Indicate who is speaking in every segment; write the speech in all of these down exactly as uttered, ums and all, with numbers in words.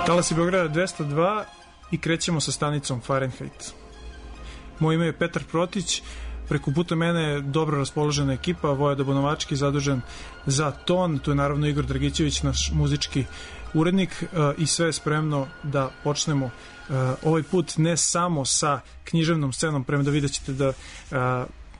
Speaker 1: Talasi Beograda dvesta dva i krećemo sa stanicom Fahrenheit. Moje ime je Petar Protić, preko puta mene je dobro raspoložena ekipa, Vojada Bonovački zadužen za ton, tu je naravno Igor Dragićević, naš muzički urednik, i sve je spremno da počnemo ovaj put ne samo sa književnom scenom, prema da vidjet ćete da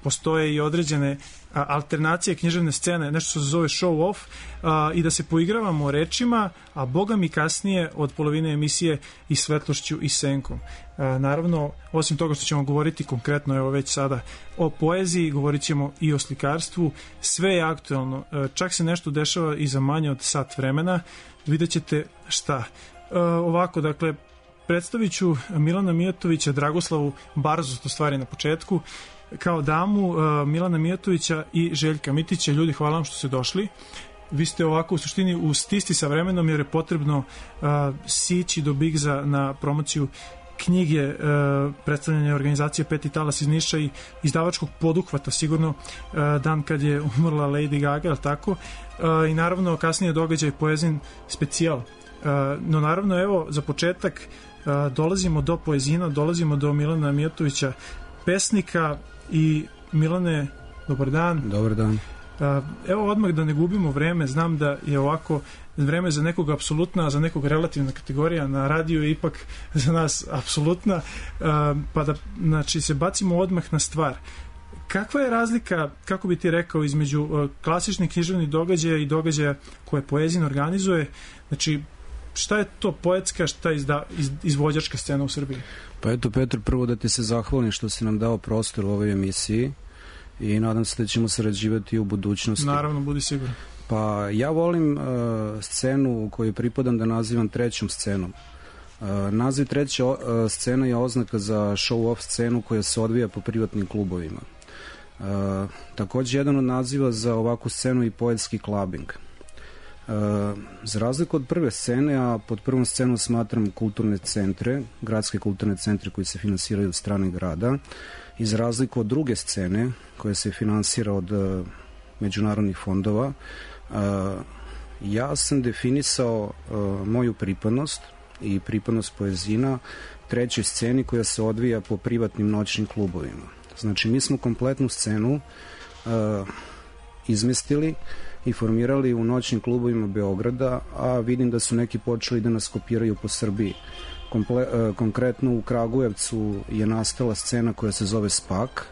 Speaker 1: postoje i određene alternacije književne scene, nešto što se zove show off, a, i da se poigravamo rečima, a boga mi kasnije od polovine emisije i svetlošću i senkom. A, naravno, osim toga što ćemo govoriti konkretno, evo već sada, o poeziji, govorit ćemo i o slikarstvu, sve je aktuelno, a, čak se nešto dešava i za manje od sat vremena, vidjet ćete šta. A, ovako, dakle, predstavit ću Milana Mijatovića, Dragoslavu Barzu, to stvari na početku, kao damu, uh, Milana Mijatovića i Željka Mitića. Ljudi, hvala vam što ste došli. Vi ste ovako u suštini u stisti sa vremenom, jer je potrebno uh, sići do Bigza na promociju knjige, uh, predstavljanja organizacije Peti talas iz Niša i izdavačkog poduhvata, sigurno uh, dan kad je umrla Lady Gaga, ali tako, uh, i naravno kasnije događaj Poezin specijal. Uh, no naravno, evo, za početak uh, dolazimo do poezina, dolazimo do Milana Mijatovića, pesnika. I Milane, dobar dan.
Speaker 2: Dobar dan.
Speaker 1: Evo odmah da ne gubimo vreme, znam da je ovako vreme za nekog apsolutna, a za nekog relativna kategorija, na radiju je ipak za nas apsolutna, pa da, znači, se bacimo odmah na stvar. Kakva je razlika, kako bi ti rekao, između klasičnih književnih događaja i događaja koje Poezin organizuje? Znači, šta je to poetska, šta je izda, iz, izvođačka scena u Srbiji?
Speaker 2: Pa eto, Petar, prvo da ti se zahvalim što si nam dao prostor u ovoj emisiji i nadam se da ćemo sarađivati u budućnosti.
Speaker 1: Naravno, budi siguran.
Speaker 2: Pa ja volim uh, scenu u kojoj pripadam da nazivam trećom scenom. Uh, naziv treća uh, scena je oznaka za show-off scenu koja se odvija po privatnim klubovima. Uh, takođe, jedan od naziva za ovakvu scenu je poetski clubbing. Uh, za razliku od prve scene, a pod prvom scenu smatram kulturne centre, gradske kulturne centre koji se finansiraju od strane grada, i za razliku od druge scene koja se finansira od uh, međunarodnih fondova, uh, ja sam definisao uh, moju pripadnost i pripadnost Poezina trećoj sceni koja se odvija po privatnim noćnim klubovima. Znači, mi smo kompletnu scenu uh, izmestili i formirali u noćnim klubovima Beograda, a vidim da su neki počeli da nas kopiraju po Srbiji. Komple, uh, konkretno u Kragujevcu je nastala scena koja se zove Spak,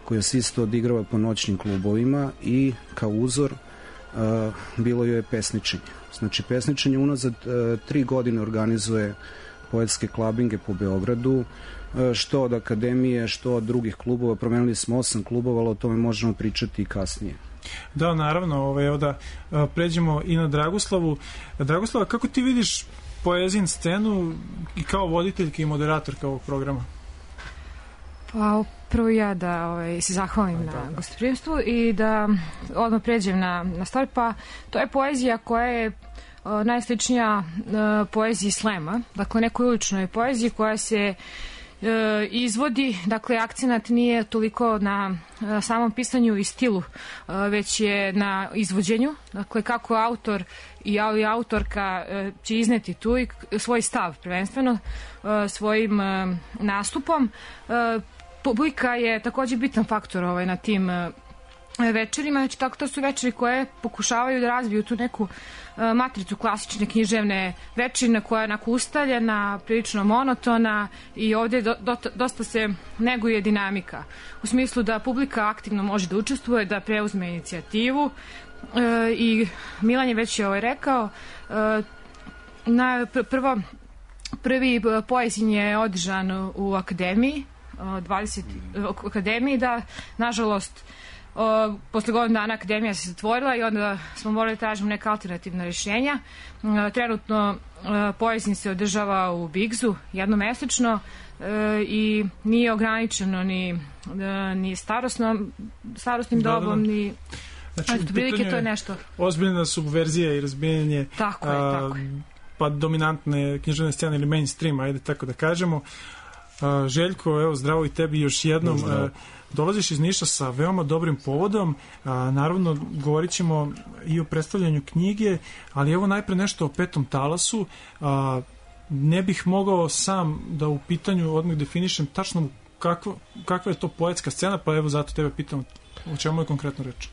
Speaker 2: koja se isto odigrava po noćnim klubovima i kao uzor uh, bilo joj je pesničenje. Znači, pesničenje unazad uh, tri godine organizuje poetske klabinge po Beogradu, uh, što od akademije, što od drugih klubova. Promenili smo osam klubova, ali o tome možemo pričati i kasnije.
Speaker 1: Da, naravno, ovaj, evo da uh, pređemo i na Dragoslavu. Dragoslava, kako ti vidiš Poezin scenu i kao voditeljka i moderatorka ovog programa?
Speaker 3: Pa prvo ja da ovaj, se zahvalim da, na gostoprimstvu i da odmah pređem na, na stvar. Pa to je poezija koja je o, najsličnija o, poeziji slema, dakle nekoj uličnoj poeziji koja se e, izvodi, dakle akcenat nije toliko na e, samom pisanju i stilu, e, već je na izvođenju, dakle kako autor i autorka e, će izneti tu i svoj stav prvenstveno e, svojim e, nastupom. E, publika je takođe bitan faktor ovaj, na tim e, večerima, znači tako to su večeri koje pokušavaju da razviju tu neku e, matricu klasične književne večerine koja je onako ustaljena, prilično monotona i ovdje do, do, dosta se neguje dinamika. U smislu da publika aktivno može da učestvuje, da preuzme inicijativu e, i Milan je već je ovaj rekao, e, na pr prvo prvi Poezin je održan u akademiji, dvadeset u akademiji, da nažalost O, posle godinu dana akademija se zatvorila i onda smo morali da tražimo neka alternativna rješenja. E, trenutno e, Poezin se održava u Bigzu jednomesečno e, i nije ograničeno ni, e, ni starosnom, starosnim
Speaker 1: da,
Speaker 3: dobom,
Speaker 1: da, da.
Speaker 3: ni...
Speaker 1: Znači,
Speaker 3: Eto, prilike to je nešto.
Speaker 1: Ozbiljna subverzija i razbijenje
Speaker 3: tako je, a, tako je.
Speaker 1: Pa dominantne književne scene ili mainstream, ajde tako da kažemo. A, Željko, evo, zdravo i tebi još jednom. Zdravo. Dolaziš iz Niša sa veoma dobrim povodom, a, naravno govorit ćemo i o predstavljanju knjige, ali evo najpre nešto o Petom talasu. A, ne bih mogao sam da u pitanju odmah definišem tačno kakva, kakva je to poetska scena, pa evo zato tebe pitam o čemu je konkretno reč.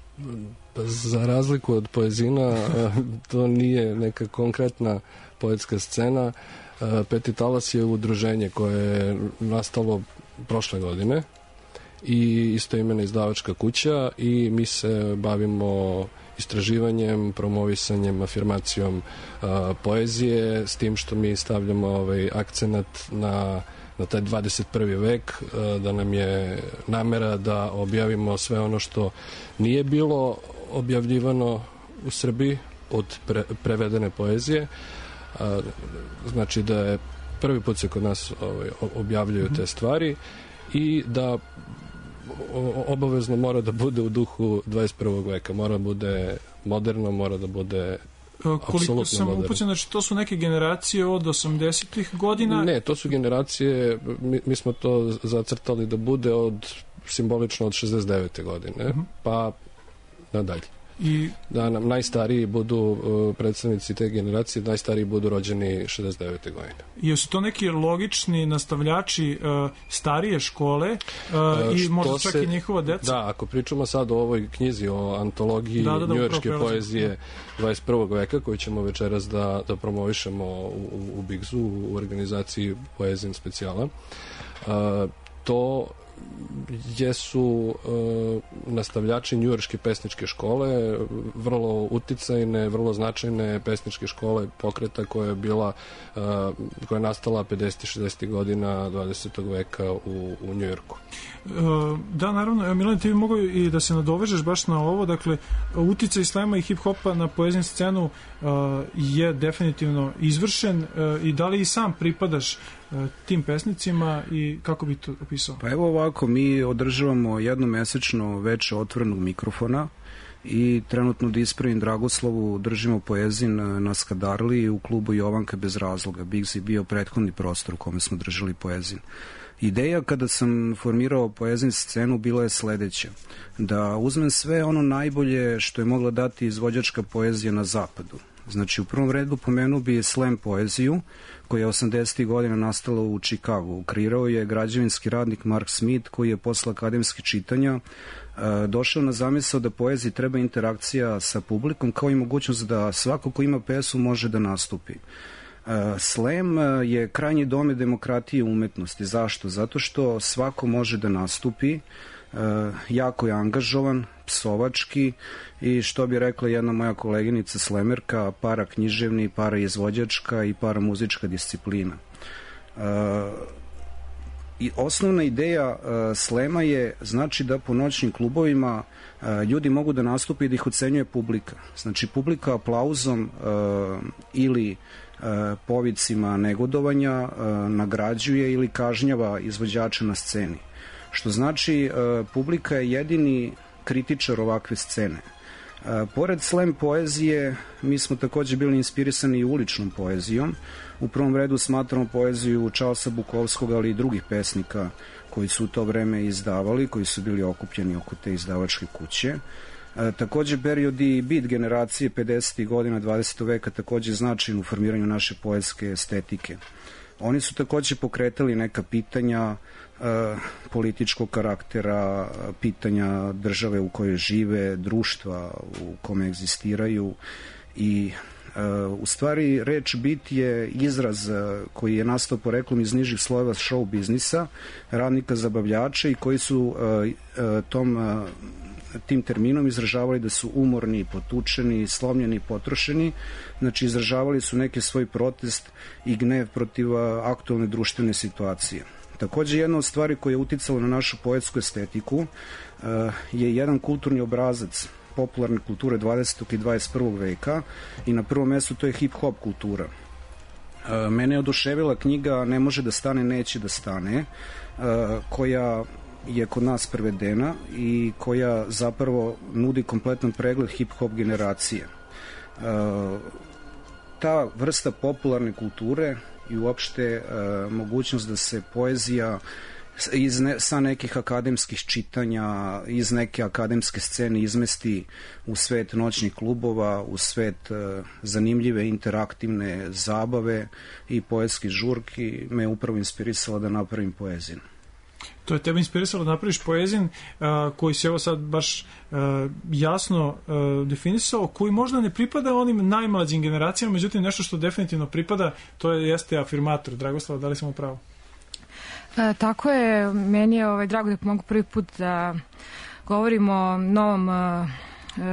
Speaker 4: Za razliku od poezina, to nije neka konkretna poetska scena. Peti talas je udruženje koje je nastalo prošle godine i istoimena izdavačka kuća i mi se bavimo istraživanjem, promovisanjem, afirmacijom a, poezije, s tim što mi stavljamo ovaj akcenat na, na taj dvadeset prvi vek, a, da nam je namera da objavimo sve ono što nije bilo objavljivano u Srbiji od pre, prevedene poezije. A, znači da je prvi put se kod nas ovaj, objavljaju te stvari i da obavezno mora da bude u duhu dvadeset prvog veka, mora da bude moderno, mora da bude
Speaker 1: koliko sam upućen, znači to su neke generacije od osamdesetih godina?
Speaker 4: Ne, to su generacije, mi, mi smo to zacrtali da bude od simbolično od šezdeset devete godine, uh-huh. pa nadalje. I da nam najstariji budu uh, predstavnici te generacije, najstariji budu rođeni šezdeset devete godine.
Speaker 1: Jesu to neki logični nastavljači uh, starije škole uh, uh, i možda čak se, i njihova deca?
Speaker 4: Da, ako pričamo sad o ovoj knjizi, o antologiji da, da, da, njujorške poezije dvadeset prvog veka, koju ćemo večeras da, da promovišemo u, u, u Bigzu, u organizaciji Poezin specijala, uh, to jesu uh, nastavljači njujorške pesničke škole, vrlo uticajne, vrlo značajne pesničke škole pokreta koja je bila uh, koja je nastala pedesetih šezdesetih godina dvadesetog veka u, u Njujorku.
Speaker 1: Uh, da, naravno, Milan, ti bi mogao i da se nadovežeš baš na ovo, dakle, uticaj slema i hip-hopa na poezijsku scenu uh, je definitivno izvršen uh, i da li i sam pripadaš tim pesnicima i kako bi to opisao?
Speaker 2: Pa evo ovako, mi održavamo jednomesečno veče otvorenog mikrofona i trenutno da ispravim Dragoslovu držimo poezin na Skadarli u klubu Jovanka bez razloga. Bigz je bio prethodni prostor u kome smo držali poezin. Ideja kada sam formirao poezin scenu bila je sledeća, da uzmem sve ono najbolje što je mogla dati izvođačka poezija na zapadu. Znači, u prvom redu pomenuo bi slam poeziju, koja je osamdesetih godina nastala u Čikagu. Kreirao je građevinski radnik Mark Smith, koji je posle akademskih čitanja e, došao na zamisao da poeziji treba interakcija sa publikom, kao i mogućnost da svako ko ima pesmu može da nastupi. E, slam je krajnji domet demokratije i umetnosti. Zašto? Zato što svako može da nastupi, e, jako je angažovan, psovački i što bi rekla jedna moja koleginica slemerka, para književni, para izvođačka i para muzička disciplina. Uh, i osnovna ideja uh, slema je znači da po noćnim klubovima uh, ljudi mogu da nastupe i da ih ocenjuje publika. Znači publika aplauzom uh, ili uh, povicima negodovanja uh, nagrađuje ili kažnjava izvođača na sceni. Što znači uh, publika je jedini kritičar ovakve scene. E, pored slam poezije, mi smo takođe bili inspirisani i uličnom poezijom. U prvom redu smatramo poeziju Charlesa Bukowskog, ali i drugih pesnika koji su u to vreme izdavali, koji su bili okupljeni oko te izdavačke kuće. E, takođe, period i bit generacije pedesetih godina dvadesetog veka takođe značajan u formiranju naše poetske estetike. Oni su takođe pokretali neka pitanja e, političkog karaktera, pitanja države u kojoj žive, društva u kome egzistiraju i e, u stvari reč bit je izraz koji je nastao poreklom iz nižih slojeva show biznisa, radnika zabavljača i koji su e, e, tom e, tim terminom izražavali da su umorni, potučeni, slomljeni, potrošeni. Znači, izražavali su neki svoj protest i gnev protiv aktualne društvene situacije. Takođe, jedna od stvari koja je uticala na našu poetsku estetiku je jedan kulturni obrazac popularne kulture dvadesetog i dvadeset prvog veka i na prvom mestu to je hip-hop kultura. Mene je oduševila knjiga Ne može da stane, neće da stane, koja je kod nas prevedena i koja zapravo nudi kompletan pregled hip-hop generacije. E, ta vrsta popularne kulture i uopšte e, mogućnost da se poezija iz ne, sa nekih akademskih čitanja, iz neke akademske scene izmesti u svet noćnih klubova, u svet uh, zanimljive interaktivne zabave i poetski žurki me upravo inspirisala da napravim poeziju.
Speaker 1: To je tebe inspirisalo da napraviš poezin uh, koji se evo sad baš uh, jasno uh, definisao, koji možda ne pripada onim najmlađim generacijama, međutim nešto što definitivno pripada, to je, jeste afirmator. Dragoslava, da li sam u pravu?
Speaker 3: E, tako je, meni je ovaj, drago da pomogu prvi put da govorimo o novom uh,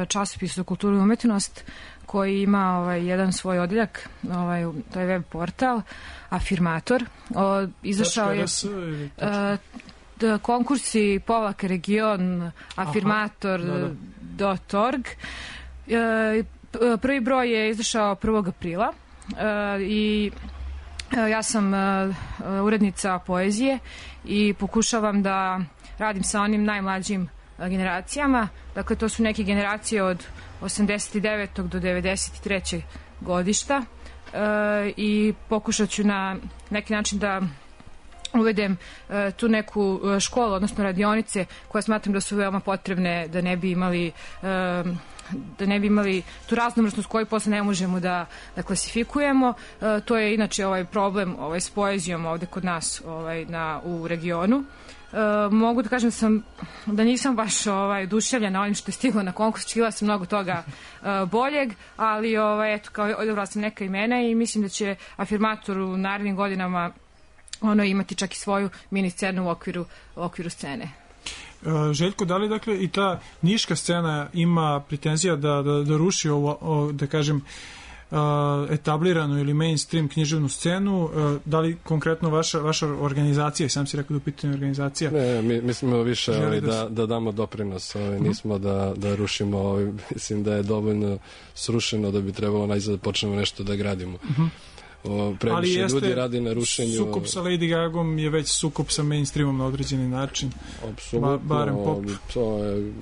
Speaker 3: časopisu za kulturu i umetnost koji ima ovaj, jedan svoj odjeljak, ovaj, to je web portal Afirmator. O, izašao je uh, d, konkursi Povlaka region afirmator dot org. E, prvi broj je izašao prvog aprila e, i ja sam uh, urednica poezije i pokušavam da radim sa onim najmlađim uh, generacijama. Dakle, to su neke generacije od osamdeset devetog do devedeset trećeg godišta uh, i pokušat ću na neki način da uvedem uh, tu neku školu, odnosno radionice koje smatram da su veoma potrebne da ne bi imali uh, da ne bi imali tu raznovrsnost koju posle ne možemo da, da klasifikujemo. E, to je inače ovaj problem ovaj, s poezijom ovde kod nas ovaj, na, u regionu. E, mogu da kažem da, sam, da nisam baš ovaj, oduševljena onim što je stiglo na konkurs, čila sam mnogo toga e, boljeg, ali ovaj, eto, kao odabrala sam neka imena i mislim da će Afirmator u narednim godinama ono imati čak i svoju mini scenu u okviru, u okviru scene.
Speaker 1: Željko, da li dakle i ta niška scena ima pretenzija da, da, da ruši ovo, o, da kažem, etabliranu ili mainstream književnu scenu, da li konkretno vaša, vaša organizacija, sam si rekao da u pitanju organizacija?
Speaker 4: Ne, mi, mi smo više ovaj, da, da damo doprinos, ovaj, nismo da, da rušimo, ovaj, mislim da je dovoljno srušeno da bi trebalo najzad da počnemo nešto da gradimo. Uh-huh. O, previše ljudi radi na rušenju.
Speaker 1: Sukob sa Lady Gagom je već sukob sa mainstreamom na određeni način.
Speaker 4: Apsolutno,
Speaker 1: ba, barem pop.
Speaker 4: To, je,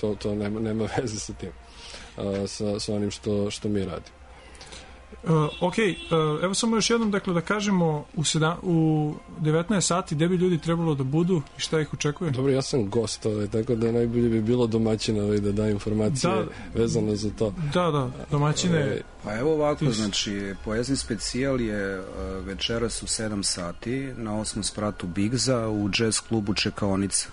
Speaker 4: to, to nema, nema veze sa tim, a, sa, sa onim što, što mi radimo.
Speaker 1: Uh, ok, uh, evo samo još jednom dakle, da kažemo u, sedam, u devetnaest sati gde bi ljudi trebalo da budu i šta ih očekuje?
Speaker 4: Dobro, ja sam gost, ovaj, tako da najbolje bi bilo domaćina ovaj, da da informacije da, vezano za to.
Speaker 1: Da, da, domaćine.
Speaker 2: Ovaj, pa evo ovako, znači, poezni specijal je uh, večeras u sedam sati na osmom spratu Bigza u jazz klubu Čekaonica.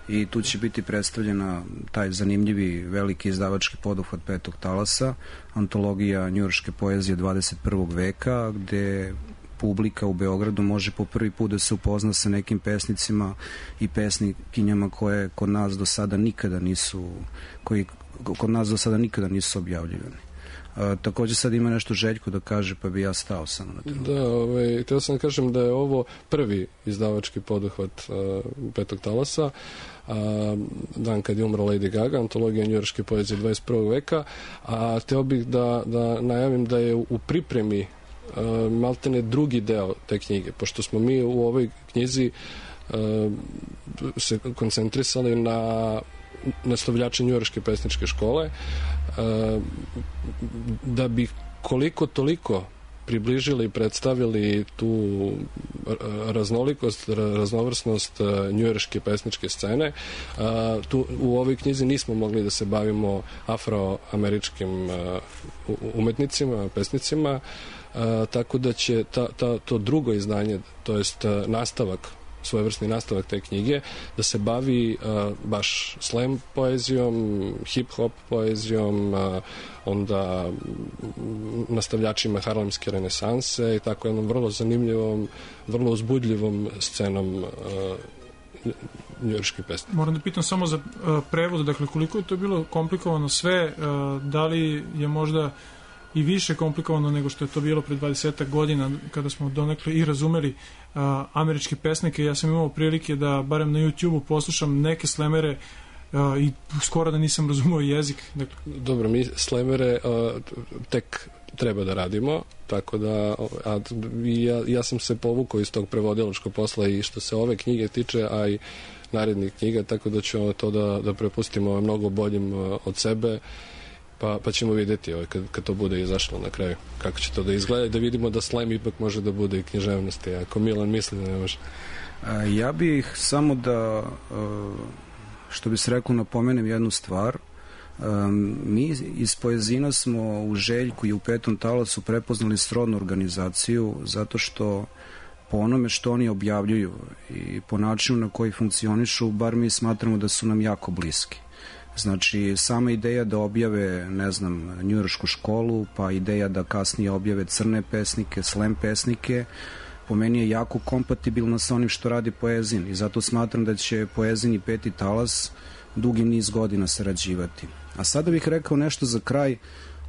Speaker 2: I tu će biti predstavljena taj zanimljivi veliki izdavački poduhvat Petog talasa, antologija njujorške poezije dvadeset prvog veka, gde publika u Beogradu može po prvi put da se upozna sa nekim pesnicima i pesnikinjama koje kod nas do sada nikada nisu koji kod nas do sada nikada nisu objavljivani. A, takođe sad ima nešto Željko da kaže, pa bi ja stao samo na trenutak.
Speaker 4: Da, ovaj, htio sam da kažem da je ovo prvi izdavački poduhvat uh, Petog talasa, a, dan kad je umra Lady Gaga, antologija njujorške poezije dvadeset prvog veka, a htio bih da, da najavim da je u pripremi uh, maltene drugi deo te knjige, pošto smo mi u ovoj knjizi uh, se koncentrisali na nastavljače njujorške pesničke škole, uh, da bi koliko toliko približili i predstavili tu raznolikost, raznovrsnost njujorške pesničke scene. Tu, u ovoj knjizi nismo mogli da se bavimo afroameričkim umetnicima, pesnicima, tako da će ta, ta, to drugo izdanje, to jest nastavak, svojevrsni nastavak te knjige, da se bavi uh, baš slam poezijom, hip-hop poezijom, uh, onda nastavljačima harlemske renesanse i tako jednom vrlo zanimljivom, vrlo uzbudljivom scenom uh, njujorške pesme.
Speaker 1: Moram da pitam samo za uh, prevod, dakle koliko je to bilo komplikovano sve, uh, da li je možda i više komplikovano nego što je to bilo pre dvadeset godina kada smo donekle i razumeli uh, američke pesnike. Ja sam imao prilike da barem na YouTubeu poslušam neke slemere uh, i skoro da nisam razumeo jezik. Dakle.
Speaker 4: Dobro, mi slemere uh, tek treba da radimo, tako da a, ja, ja sam se povukao iz tog prevodilačkog posla i što se ove knjige tiče, a i narednih knjiga, tako da ćemo to da, da prepustimo mnogo boljim uh, od sebe. Pa, pa ćemo vidjeti ovaj, kad, kad to bude izašlo na kraju. Kako će to da izgleda i da vidimo da slam ipak može da bude i književnosti. Ako Milan misli da ne može.
Speaker 2: Ja bih samo da, što bi se reklo, napomenem jednu stvar. Mi iz Poezina smo u Željku i u Petom talasu prepoznali srodnu organizaciju zato što po onome što oni objavljuju i po načinu na koji funkcionišu, bar mi smatramo da su nam jako bliski. Znači, sama ideja da objave, ne znam, njujoršku školu, pa ideja da kasnije objave crne pesnike, slam pesnike, po meni je jako kompatibilna sa onim što radi Poezin i zato smatram da će Poezin i Peti talas dugi niz godina sarađivati. A sada bih rekao nešto za kraj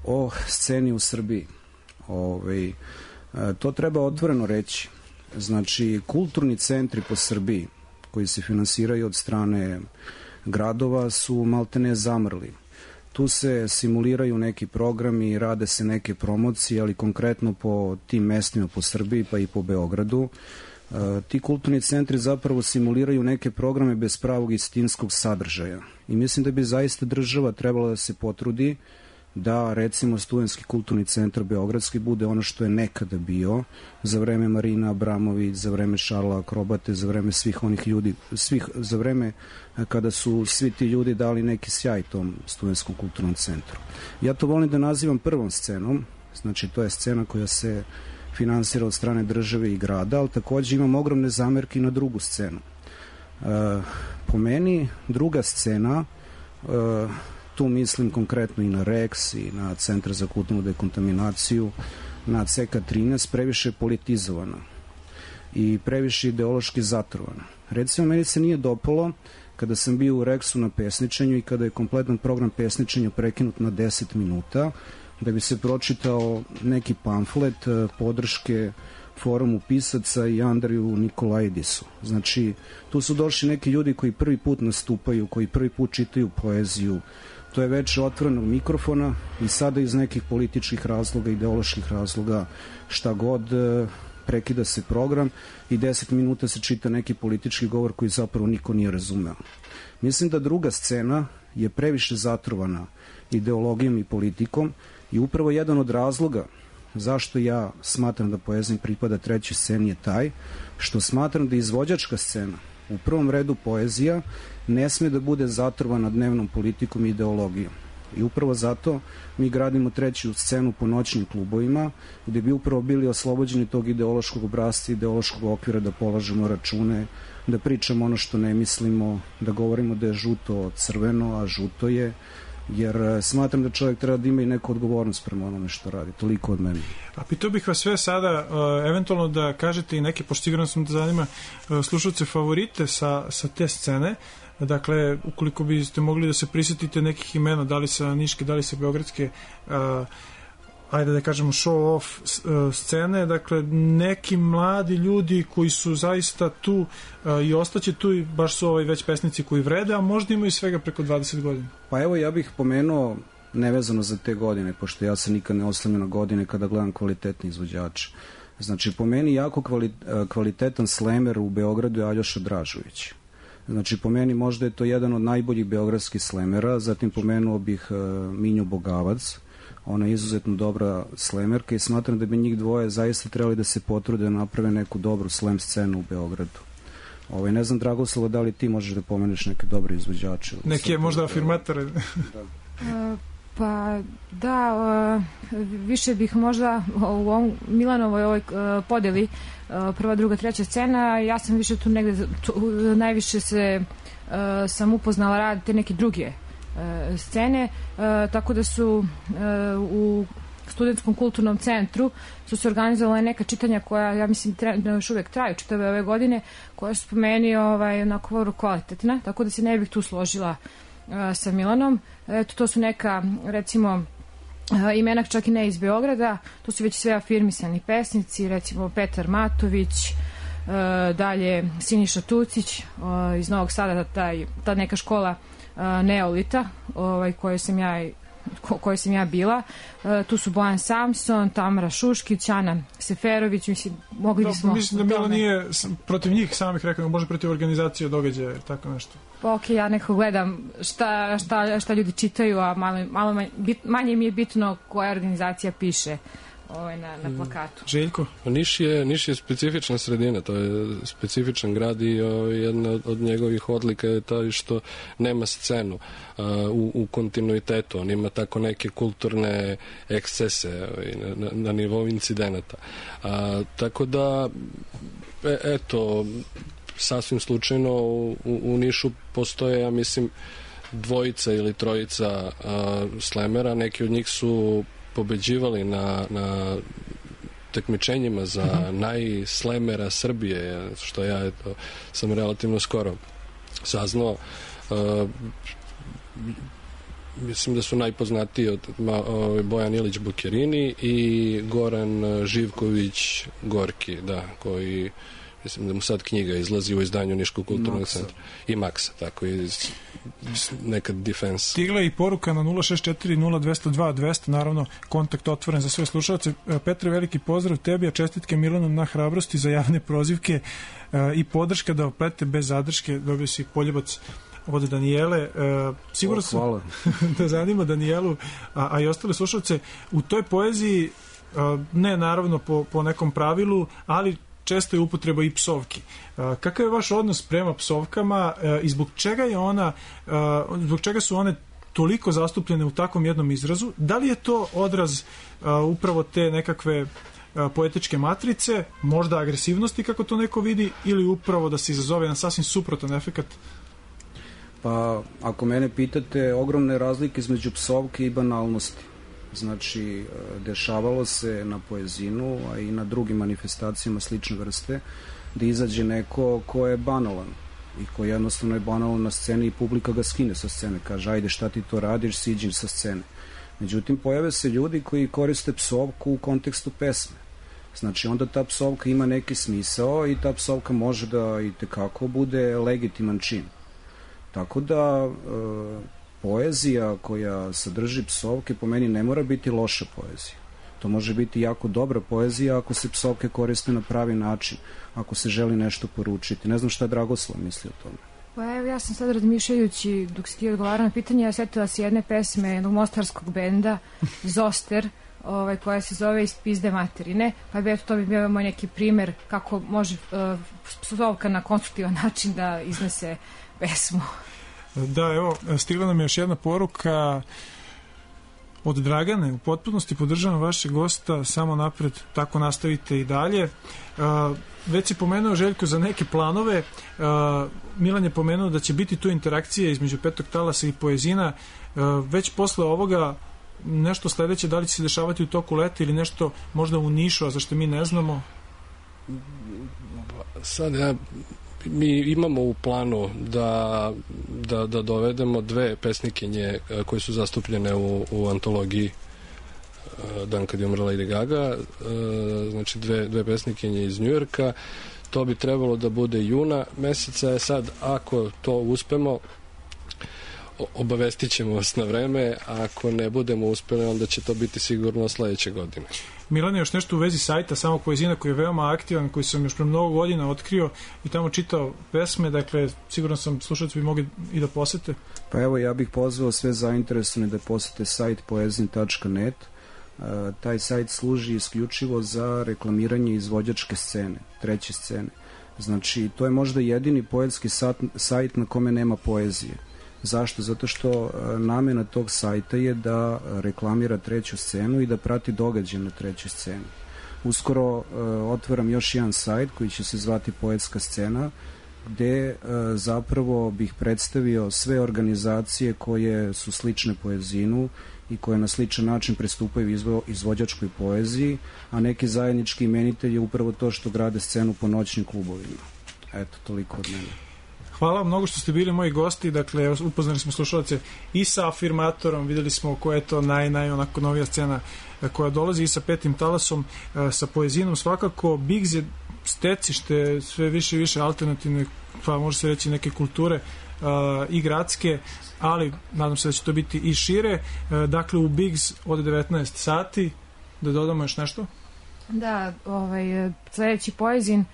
Speaker 2: o sceni u Srbiji. Ove, to treba otvoreno reći. Znači, kulturni centri po Srbiji koji se finansiraju od strane gradova su maltene zamrli. Tu se simuliraju neki programi, rade se neke promocije, ali konkretno po tim mestima po Srbiji pa i po Beogradu. E, ti kulturni centri zapravo simuliraju neke programe bez pravog istinskog sadržaja. I mislim da bi zaista država trebala da se potrudi da, recimo, Studentski kulturni centar Beogradski bude ono što je nekada bio za vreme Marina Abramović, za vreme Šarla Akrobate, za vreme svih onih ljudi, svih, za vreme kada su svi ti ljudi dali neki sjaj tom Studentskom kulturnom centru. Ja to volim da nazivam prvom scenom, znači to je scena koja se finansira od strane države i grada, ali takođe imam ogromne zamerke na drugu scenu. E, po meni, druga scena, e, tu mislim konkretno i na Rex i na Centar za kulturnu dekontaminaciju, na C K trinaest, previše politizovana i previše ideološki zatrovana. Recimo, meni se nije dopalo kada sam bio u Rexu na pesničenju i kada je kompletan program pesničenja prekinut na deset minuta, da bi se pročitao neki pamflet podrške forumu pisaca i Andriju Nikolaidisu. Znači, tu su došli neki ljudi koji prvi put nastupaju, koji prvi put čitaju poeziju. To je već otvorenog mikrofona i sada iz nekih političkih razloga, ideoloških razloga, šta god, prekida se program i deset minuta se čita neki politički govor koji zapravo niko nije razumeo. Mislim da druga scena je previše zatrovana ideologijom i politikom i upravo jedan od razloga zašto ja smatram da Poezin pripada trećoj sceni je taj što smatram da izvođačka scena, u prvom redu poezija, ne sme da bude zatrovana dnevnom politikom i ideologijom. I upravo zato mi gradimo treću scenu po noćnim klubovima, gde bi upravo bili oslobođeni tog ideološkog obrazca, ideološkog okvira, da polažemo račune, da pričamo ono što ne mislimo, da govorimo da je žuto crveno, a žuto je, jer smatram da čovjek treba da ima i neku odgovornost prema onome što radi. Toliko od mene. A
Speaker 1: pitao bih vas sve sada, uh, eventualno da kažete i neke, pošto sigurno sam da zanima uh, slušalce, favorite sa, sa te scene. Dakle, ukoliko biste mogli da se prisjetite nekih imena, da li sa niške, da li sa beogradske, uh, ajde da kažemo show off uh, scene, dakle neki mladi ljudi koji su zaista tu uh, i ostaće tu i baš su ovaj već pesnici koji vrede, a možda imaju svega preko dvadeset godina.
Speaker 2: Pa evo, ja bih pomenuo, nevezano za te godine, pošto ja se nikad ne oslanjam na godine kada gledam kvalitetni izvođače. Znači, po meni jako kvali, kvalitetan slemer u Beogradu je Aljoša Dražović. Znači, po meni možda je to jedan od najboljih beogradskih slemera, zatim pomenuo bih uh, Minju Bogavac, ona je izuzetno dobra slemerka i smatram da bi njih dvoje zaista trebali da se potrude da naprave neku dobru slam scenu u Beogradu. Ovaj, ne znam, Dragoslava, da li ti možeš da pomeneš neke dobre izvođače?
Speaker 1: Neke možda afirmatore.
Speaker 3: Da. Uh, pa da, uh, više bih možda u ovom Milanovoj ovoj uh, podeli uh, prva, druga, treća scena, ja sam više tu negde, tu, najviše se uh, sam upoznala rad te neke druge uh, scene, uh, tako da su uh, u Studentskom kulturnom centru su se organizovala neka čitanja koja, ja mislim, da još uvek traju čitave ove godine, koja su po meni ovaj, onako kvalitetna, tako da se ne bih tu složila uh, sa Milanom. Eto, to su neka, recimo, uh, imena čak i ne iz Beograda, to su već sve afirmisani pesnici, recimo Petar Matović, uh, dalje Siniša Tucić, uh, iz Novog Sada, taj, ta neka škola uh, Neolita, ovaj, koju sam ja ko, kojoj sam ja bila. E, tu su Bojan Samson, Tamara Šuškić, Ana Seferović, mislim, mogli bismo...
Speaker 1: Mislim da Mila nije protiv njih samih rekao, može protiv organizacije događaja, tako nešto.
Speaker 3: Pa ok, ja nekako gledam šta, šta, šta ljudi čitaju, a malo, malo manje, bit, manje mi je bitno koja organizacija piše ovaj, na, na plakatu.
Speaker 1: Željko?
Speaker 4: Niš je, Niš je specifična sredina, to je specifičan grad i o, jedna od, od njegovih odlika je taj što nema scenu a, u, u kontinuitetu. On ima tako neke kulturne ekscese na, na, na nivou incidenata. A, tako da, e, eto, sasvim slučajno u, u Nišu postoje, ja mislim, dvojica ili trojica a, slemera. Neki od njih su pobeđivali na, na takmičenjima za mm-hmm. najslemera Srbije, što ja eto, sam relativno skoro saznao. Uh, mislim da su najpoznatiji od ma, uh, Bojan Ilić Bukerini i Goran Živković Gorki, da, koji mislim da mu sad knjiga izlazi u izdanju Niškog kulturnog centra. I Maksa, tako i nekad Defense.
Speaker 1: Stigla je i poruka na nula šest četiri nula dva zero dva dvesta, naravno kontakt otvoren za sve slušalce. Petre, veliki pozdrav tebi, a čestitke Milanu na hrabrosti za javne prozivke i podrška da oplete bez zadrške. Dobio si poljubac od Danijele. Sigurno sam da zanima Danijelu, a, a i ostale slušalce. U toj poeziji, ne naravno po, po nekom pravilu, ali često je upotreba i psovki. Kakav je vaš odnos prema psovkama i zbog čega je ona, zbog čega su one toliko zastupljene u takvom jednom izrazu? Da li je to odraz upravo te nekakve poetičke matrice, možda agresivnosti kako to neko vidi, ili upravo da se izazove jedan sasvim suprotan efekat?
Speaker 2: Pa, ako mene pitate, ogromne razlike između psovke i banalnosti. Znači, dešavalo se na poezinu, a i na drugim manifestacijama slične vrste, da izađe neko ko je banalan i ko jednostavno je banalan na sceni i publika ga skine sa scene, kaže ajde šta ti to radiš, siđi sa scene. Međutim, pojave se ljudi koji koriste psovku u kontekstu pesme. Znači, onda ta psovka ima neki smisao i ta psovka može da i tekako bude legitiman čin. Tako da e, poezija koja sadrži psovke po meni ne mora biti loša poezija. To može biti jako dobra poezija ako se psovke koriste na pravi način, ako se želi nešto poručiti. Ne znam šta Dragoslav misli o tome.
Speaker 3: Pa evo, ja sam sad razmišljajući dok si ti odgovarao na pitanje, ja setila se jedne pesme jednog mostarskog benda Zoster, ovaj, koja se zove Iz pizde materine, pa bi eto to bi bio moj neki primer kako može uh, psovka na konstruktivan način da iznese pesmu.
Speaker 1: Da, evo, stigla nam je još jedna poruka od Dragane. U potpunosti podržavam vašeg gosta, samo napred, tako nastavite i dalje. Uh, već si pomenuo, Željko, za neke planove. Uh, Milan je pomenuo da će biti tu interakcija između Petog talasa i poezina. Uh, već posle ovoga nešto sledeće, da li će se dešavati u toku leta ili nešto možda u Nišu, a zašto mi ne znamo?
Speaker 4: Sad ja mi imamo u planu da, da, da dovedemo dve pesnikinje koje su zastupljene u, u antologiji Dan kad je umrla Lady Gaga, znači dve, dve pesnikinje iz Njujorka. To bi trebalo da bude juna meseca. Sad, ako to uspemo, obavestit ćemo vas na vreme, a ako ne budemo uspeli, onda će to biti sigurno sledeće godine.
Speaker 1: Milane, još nešto u vezi sajta Samog poezina, koji je veoma aktivan, koji sam još pre mnogo godina otkrio i tamo čitao pesme, dakle, sigurno sam slušalci bi mogli i da posete.
Speaker 2: Pa evo, ja bih pozvao sve zainteresovane da posete sajt poezin tačka net. Uh, taj sajt služi isključivo za reklamiranje izvođačke scene, treće scene. Znači, to je možda jedini poetski sajt na kome nema poezije. Zašto? Zato što namena tog sajta je da reklamira treću scenu i da prati događaje na trećoj sceni. Uskoro uh, otvaram još jedan sajt koji će se zvati Poetska scena, gde uh, zapravo bih predstavio sve organizacije koje su slične poezinu i koje na sličan način pristupaju izvo, izvođačkoj poeziji, a neki zajednički imenitelj je upravo to što grade scenu po noćnim klubovima. Eto, toliko od mene.
Speaker 1: Hvala vam mnogo što ste bili moji gosti, dakle upoznali smo slušalce i sa Afirmatorom, videli smo koja je to naj, naj onako novija scena koja dolazi, i sa Petim talasom, sa poezinom svakako. Bigz je stecište sve više i više alternativne, pa može se reći neke kulture i gradske, ali nadam se da će to biti i šire. Dakle, u Bigz od devetnaest sati, da dodamo još nešto?
Speaker 3: Da, ovaj, sledeći poezin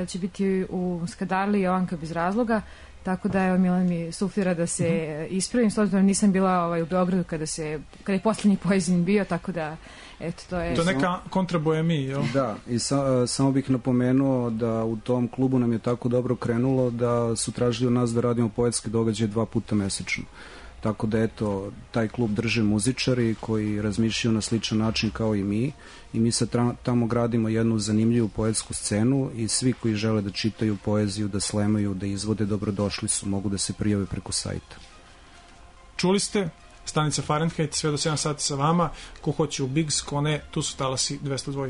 Speaker 3: će biti u Skadarli Jovanka bez razloga, tako da evo Milan mi suflira da se mm-hmm. ispravim, s obzirom nisam bila ovaj, u Beogradu kada, se, kada je posljednji poezin bio, tako da eto, to je...
Speaker 1: To je neka kontraboemija, jel?
Speaker 2: Da, i sa, samo bih napomenuo da u tom klubu nam je tako dobro krenulo da su tražili od nas da radimo poetske događaje dva puta mesečno. Tako da eto, taj klub drže muzičari koji razmišljaju na sličan način kao i mi i mi sad tamo gradimo jednu zanimljivu poetsku scenu i svi koji žele da čitaju poeziju, da slemaju, da izvode, dobrodošli su, mogu da se prijave preko sajta.
Speaker 1: Čuli ste, stanica Fahrenheit, sve do sedam sati sa vama, ko hoće u Bigs, ko ne, tu su talasi dvesta dva.